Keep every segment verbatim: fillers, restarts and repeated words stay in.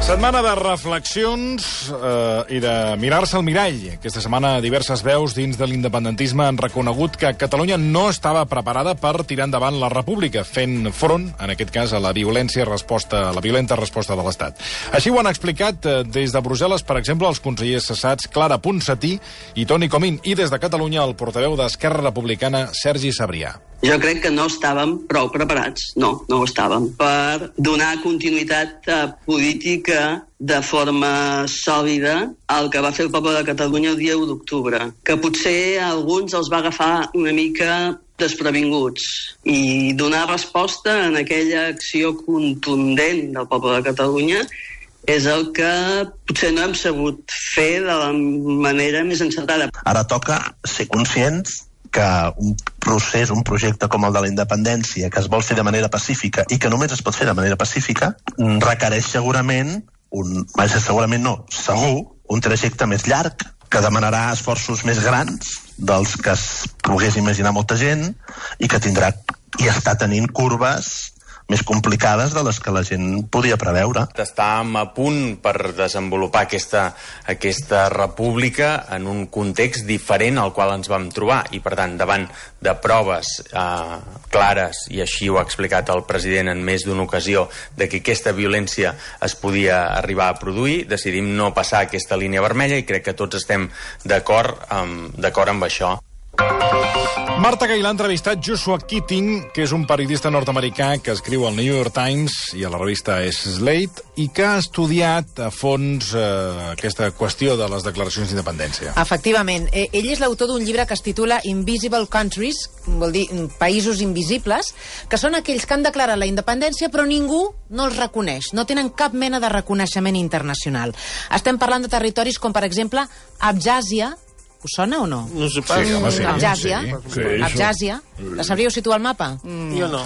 Setmana de reflexions eh, i de mirar-se al mirall. Aquesta setmana diverses veus dins de l'independentisme han reconegut que Catalunya no estava preparada per tirar endavant la república, fent front, en aquest cas, a la violència resposta, a la violenta resposta de l'Estat. Així ho han explicat eh, des de Brussel·les, per exemple, els consellers cessats Clara Ponsatí i Toni Comín, i des de Catalunya el portaveu d'Esquerra Republicana, Sergi Sabrià. Jo crec que no estàvem prou preparats, no, no ho estàvem, per donar continuïtat eh, política de forma sòlida al que va fer el poble de Catalunya el dia u d'octubre, que potser a alguns els va agafar una mica desprevinguts, i donar resposta en aquella acció contundent del poble de Catalunya és el que potser no hem sabut fer de la manera més encertada. Ara toca ser conscients que un procés, un projecte com el de la independència, que es vol fer de manera pacífica i que només es pot fer de manera pacífica, requereix segurament, un, segurament no, segur, un trajecte més llarg, que demanarà esforços més grans dels que es pogués imaginar molta gent i que tindrà i està tenint curves més complicades de les que la gent podia preveure. Estàvem a punt per desenvolupar aquesta, aquesta república en un context diferent al qual ens vam trobar, i per tant, davant de proves eh, clares, i així ho ha explicat el president en més d'una ocasió, de que aquesta violència es podia arribar a produir, decidim no passar aquesta línia vermella, i crec que tots estem d'acord amb, d'acord amb això. Marta Gailà ha entrevistat Joshua Keating, que és un periodista nord-americà que escriu al New York Times i a la revista Slate, i que ha estudiat a fons eh, aquesta qüestió de les declaracions d'independència. Efectivament. Eh, ell és l'autor d'un llibre que es titula Invisible Countries, vol dir països invisibles, que són aquells que han declarat la independència però ningú no els reconeix, no tenen cap mena de reconeixement internacional. Estem parlant de territoris com, per exemple, Abkhàzia. Us sona o no? No sé pas. Sí, home, sí. Abkhàzia. Sí, sí. Abkhàzia. La sabríeu situar al mapa? Mm. Jo no.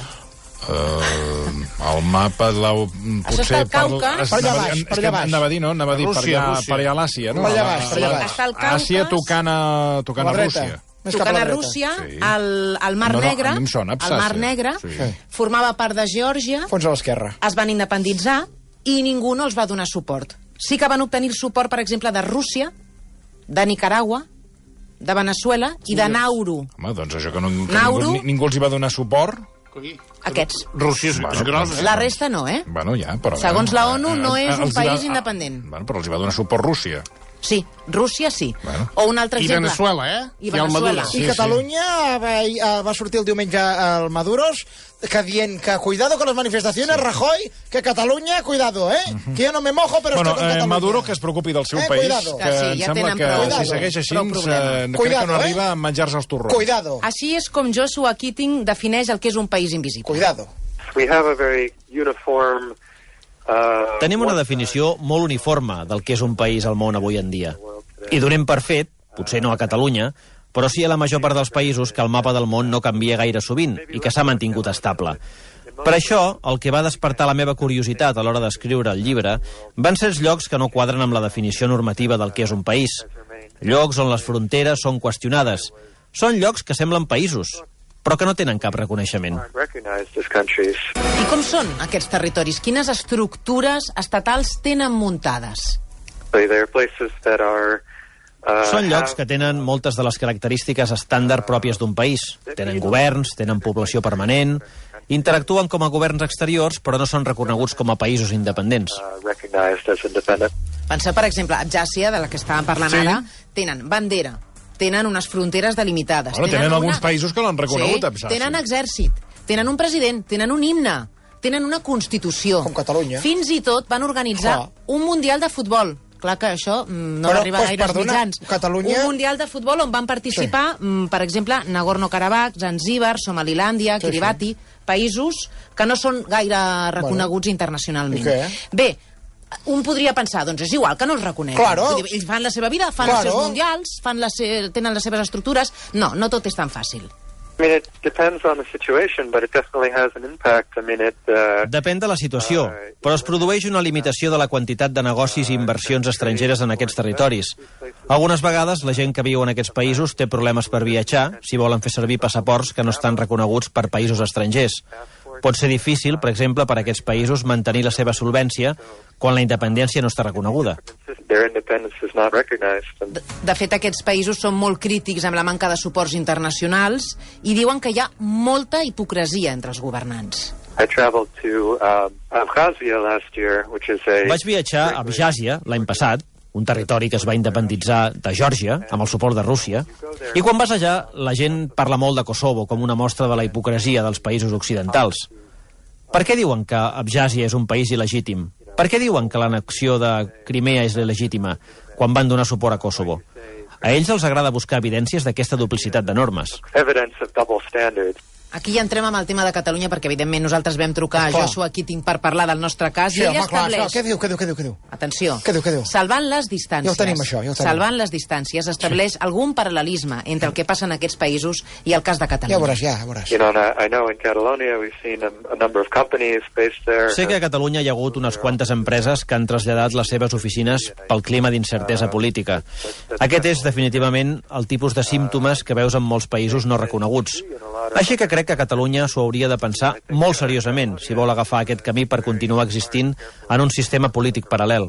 Uh, el mapa l'heu... Això està al Caucas. Per allà baix, per allà baix. Anava a dir, no? Anava a dir per allà, per allà a l'Àsia, no? Per allà baix, per allà baix. Està al Caucas. Àsia tocant a, tocant a Rússia. Tocant a Rússia, sí. el, el Mar no, no, Negre, sona, el Mar Negre, sí. formava part de Geòrgia, fons a l'esquerra. Es van independitzar i ningú no els va donar suport. Sí que van obtenir el suport, per exemple, de Rússia, de Nicaragua, de Venezuela i de Nauru. Home, doncs això que, no, que Nauru, ningú, ningú els hi va donar suport. Aquests. Rússia és, Bueno, és gros. La resta no, eh? Bueno, ja, però... Segons la ONU, no eh, és un els hi país va- independent. Bueno, però els hi va donar suport Rússia. Sí, Rússia sí. Bueno. O un altre I exemple. Venezuela, eh? I I el Venezuela. Maduro. I Catalunya va, va sortir el diumenge al Maduros que dient que cuidado con las manifestaciones, sí. Rajoy, que Catalunya, cuidado, eh? Uh-huh. Que yo no me mojo, pero Bueno, estoy con eh, Catalunya. Maduro que es preocupi del seu Eh, país, cuidado. que Que sí, em ja sembla tenen que prou- si segueix així, prou eh, problema. crec Cuidado, que no eh? arriba a menjar-se els torrons. Cuidado, Així és com Joshua Keating defineix el que és un país invisible. cuidado. We have a very uniform, uh, Tenim una definició molt uniforme del que és un país al món avui en dia. I donem per fet, potser no a Catalunya, però sí a la major part dels països, que el mapa del món no canvia gaire sovint i que s'ha mantingut estable. Per això, el que va despertar la meva curiositat a l'hora d'escriure el llibre van ser els llocs que no quadren amb la definició normativa del que és un país. Llocs on les fronteres són qüestionades. Són llocs que semblen països, però que no tenen cap reconeixement. recognized as countries. I com són aquests territoris? Quines estructures estatals tenen muntades? So there are places that are uh, Són llocs have- que tenen moltes de les característiques estàndard pròpies d'un país. Tenen governs, tenen població permanent, interactuen com a governs exteriors, però no són reconeguts com a països independents. uh, recognized as independent. Penseu, per exemple, Abkhàzia, de la que estàvem parlant Sí. ara, tenen bandera, tenen unes fronteres delimitades. Bueno, tenen una- alguns països que l'han reconegut, sí, Abkhàzia. tenen exèrcit, tenen un president, tenen un himne, tenen una constitució. Com Catalunya. Fins i tot van organitzar Clar. un mundial de futbol. Clar que això mm, no Però, arriba doncs, gaire als perdona, mitjans. Catalunya- Un mundial de futbol on van participar, sí. mm, per exemple, Nagorno-Karabakh, Zanzíbar, Somalilàndia, Sí, Kiribati, països que no són gaire reconeguts bueno. internacionalment. I què? Bé, un podria pensar, doncs és igual que no els reconeguen. Claro. Vull dir, ells fan la seva vida, fan Claro. els seus mundials, fan les se... tenen les seves estructures. No, no tot és tan fàcil. I mean, it depends on the situation, but it definitely has an impact. I mean, it... Uh, Depèn de la situació, però es produeix una limitació de la quantitat de negocis i inversions estrangeres en aquests territoris. Algunes vegades la gent que viu en aquests països té problemes per viatjar si volen fer servir passaports que no estan reconeguts per països estrangers. Pot ser difícil, per exemple, per a aquests països mantenir la seva solvència quan la independència no està reconeguda. De, de fet, aquests països són molt crítics amb la manca de suports internacionals i diuen que hi ha molta hipocresia entre els governants. Vaig viatjar a Abkhàzia l'any passat, un territori que es va independitzar de Geòrgia, amb el suport de Rússia, i quan vas allà, la gent parla molt de Kosovo com una mostra de la hipocresia dels països occidentals. Per què diuen que Abkhàzia és un país il·legítim? Per què diuen que l'annexió de Crimea és il·legítima quan van donar suport a Kosovo? A ells els agrada buscar evidències d'aquesta duplicitat de normes. Aquí ja entrem amb el tema de Catalunya, perquè, evidentment, nosaltres vam trucar a Joshua Keating per parlar del nostre cas, sí, i ell home, estableix... Clar, què diu, què diu, què diu, què diu? Atenció. Què diu, què diu? Salvant les distàncies. Ja ho tenim, això, ja ho tenim. Salvant les distàncies, estableix sí. algun paral·lelisme entre el que passa en aquests països i el cas de Catalunya. Ja veuràs, ja veuràs. You know, I know in Catalonia we've seen a, a number of companies based there. Sé que a Catalunya hi ha hagut unes quantes empreses que han traslladat les seves oficines pel clima d'incertesa política. Aquest és, definitivament, el tipus de símptomes que veus en molts països no reconeguts. Així que crec que Catalunya s'ho hauria de pensar molt seriosament si vol agafar aquest camí per continuar existint en un sistema polític paral·lel.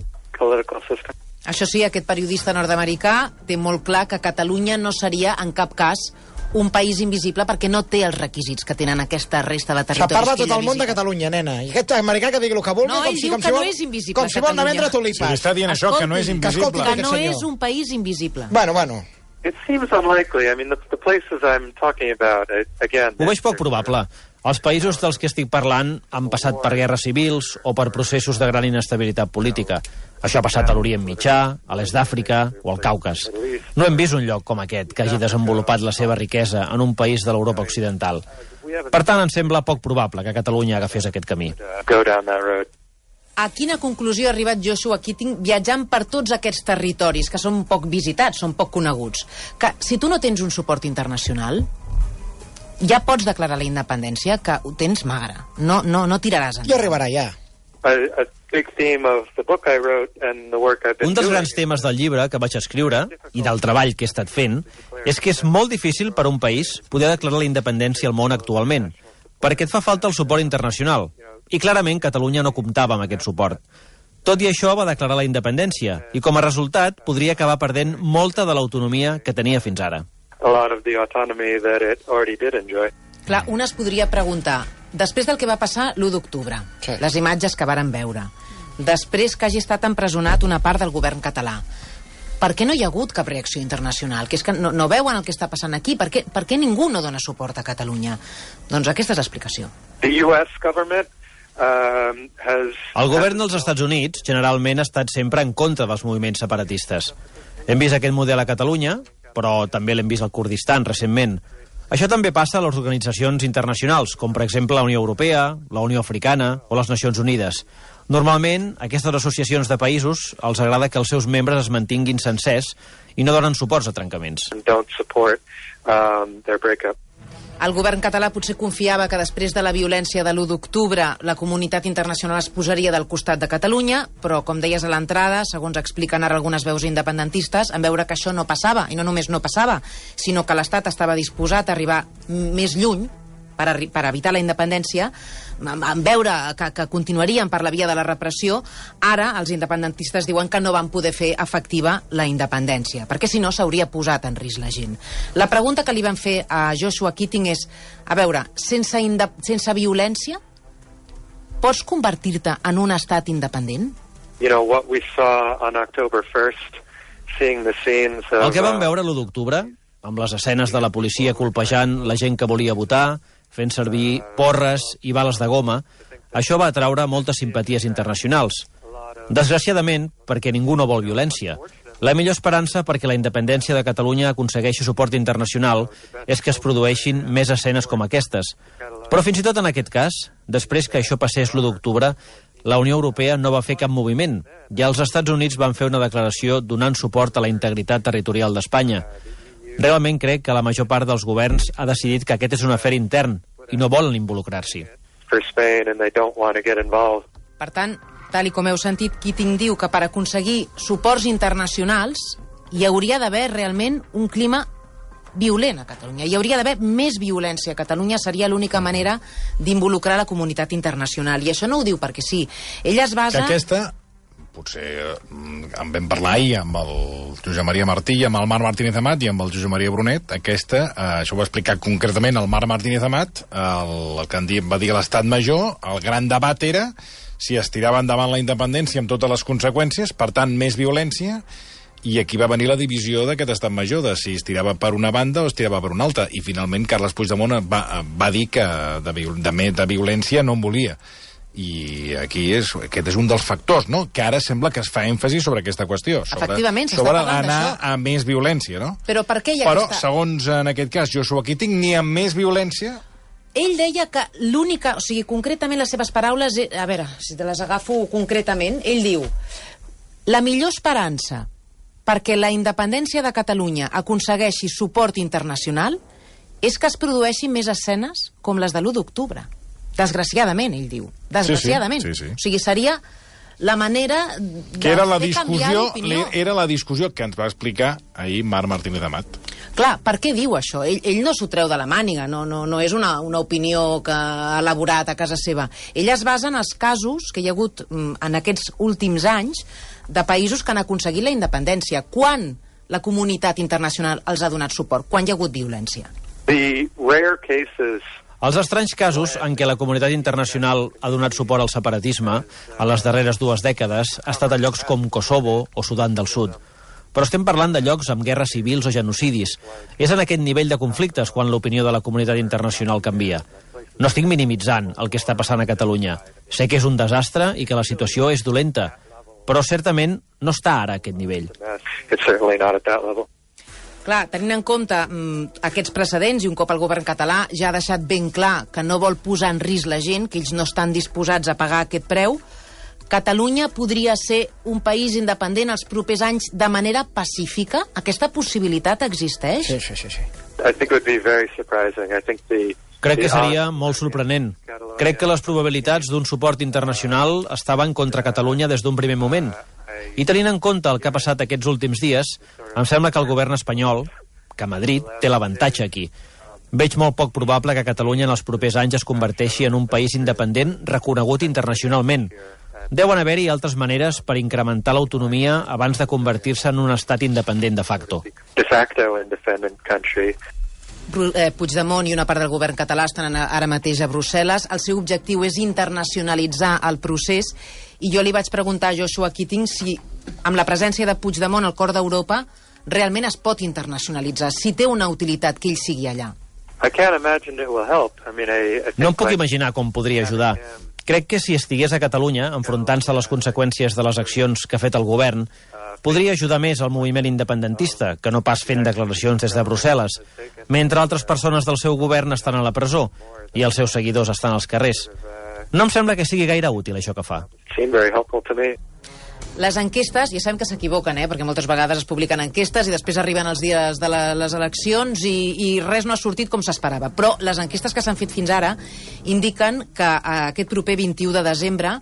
Això sí, aquest periodista nord-americà té molt clar que Catalunya no seria en cap cas un país invisible perquè no té els requisits que tenen aquesta resta de territoris. Se parla tot el món de Catalunya, nena. I aquest americà que digui el que vulgui, no, com si, diu com que si vol, no és invisible, com si vol anar a vendre tulipes. Si li està dient això, que no és invisible. Que no és un país invisible. Bueno, bueno. It seems unlikely. I mean, the, the places I'm talking about, again... Ho veig poc probable. Els països dels que estic parlant han passat per guerres civils o per processos de gran inestabilitat política. Això ha passat a l'Orient Mitjà, a l'est d'Àfrica o al Caucas. No hem vist un lloc com aquest que hagi desenvolupat la seva riquesa en un país de l'Europa occidental. Per tant, em sembla poc probable que Catalunya agafés aquest camí. Go down that road. A quina conclusió ha arribat Joshua Keating viatjant per tots aquests territoris que són poc visitats, són poc coneguts? Que si tu no tens un suport internacional, ja pots declarar la independència, que ho tens magre. No, no, no tiraràs endavant. Ja arribarà, ja. Un dels grans temes del llibre que vaig escriure, i del treball que he estat fent, és que és molt difícil per a un país poder declarar la independència al món actualment, perquè et fa falta el suport internacional. I clarament Catalunya no comptava amb aquest suport. Tot i això va declarar la independència i com a resultat podria acabar perdent molta de l'autonomia que tenia fins ara. Clar, un es podria preguntar, després del que va passar l'u d'octubre, sí. les imatges que varen veure, després que hagi estat empresonat una part del govern català, per què no hi ha hagut cap reacció internacional? Que és que no, no veuen el que està passant aquí? Per què, per què ningú no dona suport a Catalunya? Doncs aquesta és l'explicació. The U S government Um, has... El govern dels Estats Units generalment ha estat sempre en contra dels moviments separatistes. Hem vist aquest model a Catalunya, però també l'hem vist al Kurdistan recentment. Això també passa a les organitzacions internacionals, com per exemple la Unió Europea, la Unió Africana o les Nacions Unides. Normalment, aquestes associacions de països els agrada que els seus membres es mantinguin sencers i no donen suports a trencaments. Don't support, um, their breakup. El govern català potser confiava que després de la violència de l'u d'octubre la comunitat internacional es posaria del costat de Catalunya, però, com deies a l'entrada, segons expliquen ara algunes veus independentistes, en veure que això no passava, i no només no passava, sinó que l'Estat estava disposat a arribar més lluny per, per evitar la independència, en veure que, que continuarien per la via de la repressió, ara els independentistes diuen que no van poder fer efectiva la independència, perquè si no s'hauria posat en risc la gent. La pregunta que li van fer a Joshua Keating és, a veure, sense, sense violència, pots convertir-te en un estat independent? You know, what we saw on October first, seeing the scenes of... El que vam veure l'u d'octubre, amb les escenes de la policia colpejant la gent que volia votar, fent servir porres i bales de goma, això va atraure moltes simpaties internacionals. Desgraciadament, perquè ningú no vol violència. La millor esperança perquè la independència de Catalunya aconsegueixi suport internacional és que es produeixin més escenes com aquestes. Però fins i tot en aquest cas, després que això passés l'u d'octubre, la Unió Europea no va fer cap moviment, i els Estats Units van fer una declaració donant suport a la integritat territorial d'Espanya. Realment crec que la major part dels governs ha decidit que aquest és un afer intern i no volen involucrar-s'hi. Per tant, tal i com heu sentit, Keating diu que per aconseguir suports internacionals hi hauria d'haver realment un clima violent a Catalunya. Hi hauria d'haver més violència a Catalunya, seria l'única manera d'involucrar la comunitat internacional. I això no ho diu perquè sí. Ella es basa... Que aquesta, potser en vam parlar ahir amb el Josep Maria Martí i amb el Marc Martínez Amat i amb el Josep Maria Brunet, aquesta, eh, això ho va explicar concretament el Marc Martínez Amat, el, el que en va dir l'Estat Major, el gran debat era si es tirava endavant la independència amb totes les conseqüències, per tant, més violència, i aquí va venir la divisió d'aquest estat major, de si es tirava per una banda o es tirava per una altra, i finalment Carles Puigdemont va, va dir que de, de, de violència no en volia. I aquí és, aquest és un dels factors, no?, que ara sembla que es fa èmfasi sobre aquesta qüestió, sobre, efectivament, s'està sobre parlant anar d'això. a més violència, no? Però per què hi ha Però, aquesta... segons en aquest cas Joshua Keating, ni amb més violència... Ell deia que l'única... O sigui, concretament les seves paraules... A veure, si te les agafo concretament, ell diu: la millor esperança perquè la independència de Catalunya aconsegueixi suport internacional és que es produeixin més escenes com les de l'u d'octubre. Desgraciadament, ell diu. Desgraciadament. Sí, sí, sí, sí. O sigui, seria la manera de que era la fer canviar discussió, l'opinió. era la discussió que ens va explicar ahir Marc Martínez Amat. Clar, per què diu això? Ell, ell no s'ho treu de la màniga, no, no, no és una, una opinió que ha elaborat a casa seva. Ell es basa en els casos que hi ha hagut mm, en aquests últims anys de països que han aconseguit la independència. Quan la comunitat internacional els ha donat suport? Quan hi ha hagut violència? The rare cases... Els estranys casos en què la comunitat internacional ha donat suport al separatisme a les darreres dues dècades ha estat a llocs com Kosovo o Sudan del Sud. Però estem parlant de llocs amb guerres civils o genocidis. És en aquest nivell de conflictes quan l'opinió de la comunitat internacional canvia. No estic minimitzant el que està passant a Catalunya. Sé que és un desastre i que la situació és dolenta, però certament no està ara a aquest nivell. It's certainly not at that level. Clar, tenint en compte mm, aquests precedents i un cop el govern català ja ha deixat ben clar que no vol posar en risc la gent, que ells no estan disposats a pagar aquest preu, Catalunya podria ser un país independent els propers anys de manera pacífica? Aquesta possibilitat existeix? Sí, sí, sí, sí. I think it would be very surprising. I think the Crec que seria molt sorprenent. Crec que les probabilitats d'un suport internacional estaven contra Catalunya des d'un primer moment. I tenint en compte el que ha passat aquests últims dies, em sembla que el govern espanyol, que Madrid, té l'avantatge aquí. Veig molt poc probable que Catalunya en els propers anys es converteixi en un país independent reconegut internacionalment. Deuen haver-hi altres maneres per incrementar l'autonomia abans de convertir-se en un estat independent de facto. de facto independent country. Puigdemont i una part del govern català estan ara mateix a Brussel·les. El seu objectiu és internacionalitzar el procés i jo li vaig preguntar a Joshua Keating si amb la presència de Puigdemont al cor d'Europa realment es pot internacionalitzar, si té una utilitat que ell sigui allà. I can't imagine it will help. I mean, I, I think No em puc like- imaginar com podria ajudar. Crec que si estigués a Catalunya, enfrontant-se a les conseqüències de les accions que ha fet el govern, podria ajudar més al moviment independentista, que no pas fent declaracions des de Brussel·les, mentre altres persones del seu govern estan a la presó i els seus seguidors estan als carrers. No em sembla que sigui gaire útil això que fa. seemed very helpful to me. Les enquestes, ja sabem que s'equivoquen, eh? perquè moltes vegades es publiquen enquestes i després arriben els dies de la, les eleccions i, i res no ha sortit com s'esperava. Però les enquestes que s'han fet fins ara indiquen que aquest proper vint-i-u de desembre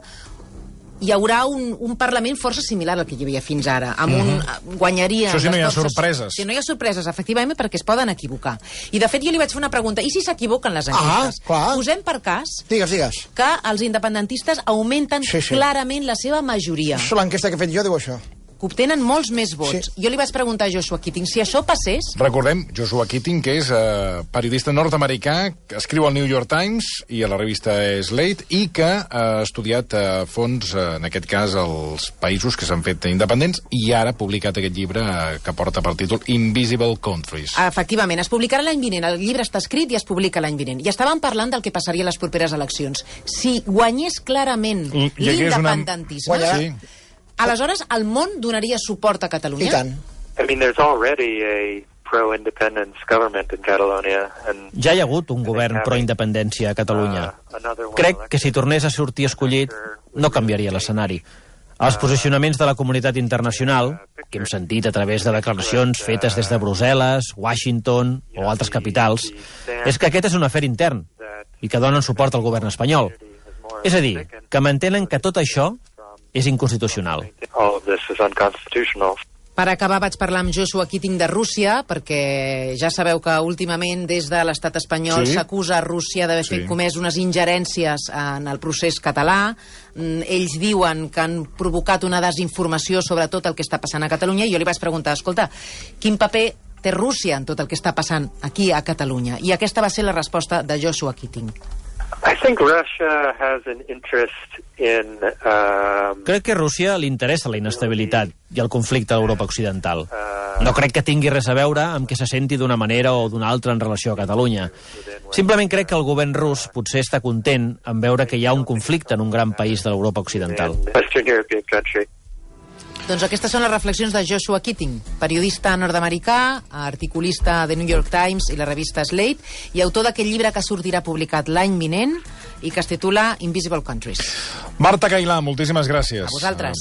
hi haurà un, un Parlament força similar al que hi havia fins ara. Amb un, Mhm. guanyaria... Això si no hi ha les forces- sorpreses. Si no hi ha sorpreses, efectivament, perquè es poden equivocar. I, de fet, jo li vaig fer una pregunta. I si s'equivoquen les enquestes? Ah, clar. Posem per cas Digues, digues. que els independentistes augmenten Sí, sí. clarament la seva majoria, Això, l'enquesta que he fet jo diu això. que obtenen molts més vots. Sí. Jo li vaig preguntar a Joshua Keating si això passés. Recordem, Joshua Keating, que és eh, periodista nord-americà, que escriu al New York Times i a la revista Slate, i que ha estudiat a fons, eh, en aquest cas, els països que s'han fet independents, i ara ha publicat aquest llibre eh, que porta per títol Invisible Countries. Efectivament, es publicarà l'any vinent. El llibre està escrit i es publica l'any vinent. I estàvem parlant del que passaria a les properes eleccions. Si guanyés clarament I- i aquí és una- l'independentisme, Guanyarà. Sí. aleshores el món donaria suport a Catalunya? I tant. I mean, there's already a pro-independence government in Catalonia, and Ja hi ha hagut un govern pro-independència a Catalunya. uh, another one Crec que si tornés a sortir escollit, no canviaria l'escenari. Els posicionaments de la comunitat internacional, que hem sentit a través de declaracions fetes des de Brussel·les, Washington o altres capitals, és que aquest és un afer intern i que donen suport al govern espanyol. És a dir, que mantenen que tot això és inconstitucional. all of this is unconstitutional. Per acabar vaig parlar amb Joshua Keating de Rússia, perquè ja sabeu que últimament des de l'estat espanyol Sí. s'acusa a Rússia d'haver Sí. fet comès unes ingerències en el procés català. Mm, Ells diuen que han provocat una desinformació sobre tot el que està passant a Catalunya, i jo li vaig preguntar, escolta, quin paper té Rússia en tot el que està passant aquí a Catalunya? I aquesta va ser la resposta de Joshua Keating. I think Russia has an interest in um, Crec que a Rússia li interessa la inestabilitat i el conflicte a l'Europa occidental. No crec que tingui res a veure amb que se senti d'una manera o d'una altra en relació a Catalunya. Simplement crec que el govern rus potser està content en veure que hi ha un conflicte en un gran país de l'Europa occidental. Western European country. Doncs aquestes són les reflexions de Joshua Keating, periodista nord-americà, articulista de New York Times i la revista Slate, i autor d'aquest llibre que sortirà publicat l'any vinent i que es titula Invisible Countries. Marta Cailà, moltíssimes gràcies. A vosaltres.